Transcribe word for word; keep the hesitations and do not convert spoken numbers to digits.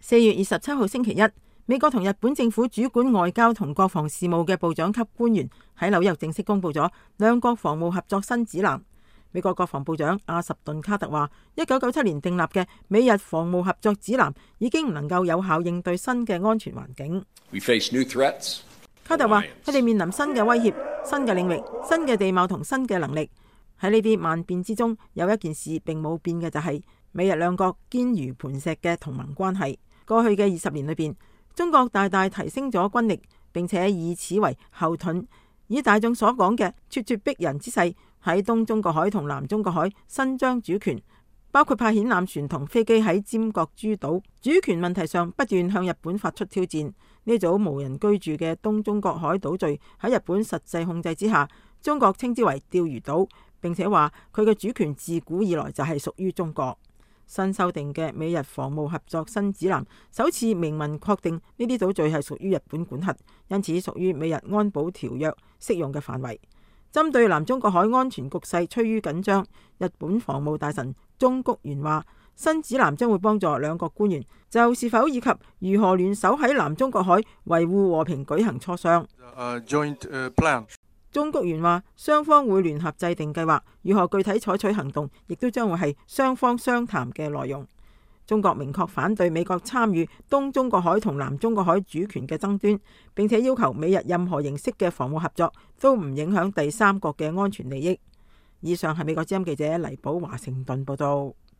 四月二十七號星期一，美國同日本政府主管外交同國防事務嘅部長級官員喺紐約正式公布咗兩國防務合作新指南。美國國防部長阿什頓卡特話，一九九七年訂立嘅美日防務合作指南已經唔能夠有效應對新嘅安全環境。We face new threats. 卡特話，佢哋面臨新嘅威脅、新嘅領域、新嘅地貌同新嘅能力。喺呢啲萬變之中，有一件事並冇變嘅就係、是、美日兩國堅如磐石嘅同盟關係。過去嘅二十年裏邊，中國大大提升咗軍力，並且以此為後盾，以大眾所講嘅咄咄逼人之勢，喺東中國海同南中國海伸張主權，包括派遣艦船同飛機喺尖閣諸島主權問題上不斷向日本發出挑戰。呢組無人居住嘅東中國海島嶼喺日本實際控制之下，中國稱之為釣魚島，並且話佢嘅主權自古以來就係屬於中國。新修訂嘅美日防務合作新指南首次明文確定呢啲島嶼係屬於日本管轄，因此屬於美日安保條約適用嘅範圍。針對南中國海安全局勢趨於緊張，日本防務大臣中谷元話，新指南將會幫助兩國官員就是否以及如何聯手喺南中國海維護和平舉行磋商。Uh, joint, uh, plan. 中谷元話，雙方會聯合制定計劃，如何具體採取行動，亦都將會係雙方商談嘅內容。中國明確反對美國參與東中國海同南中國海主權嘅爭端，並且要求美日任何形式嘅防務合作都唔影響第三國嘅安全利益。以上係美國之音記者黎寶華盛頓報道。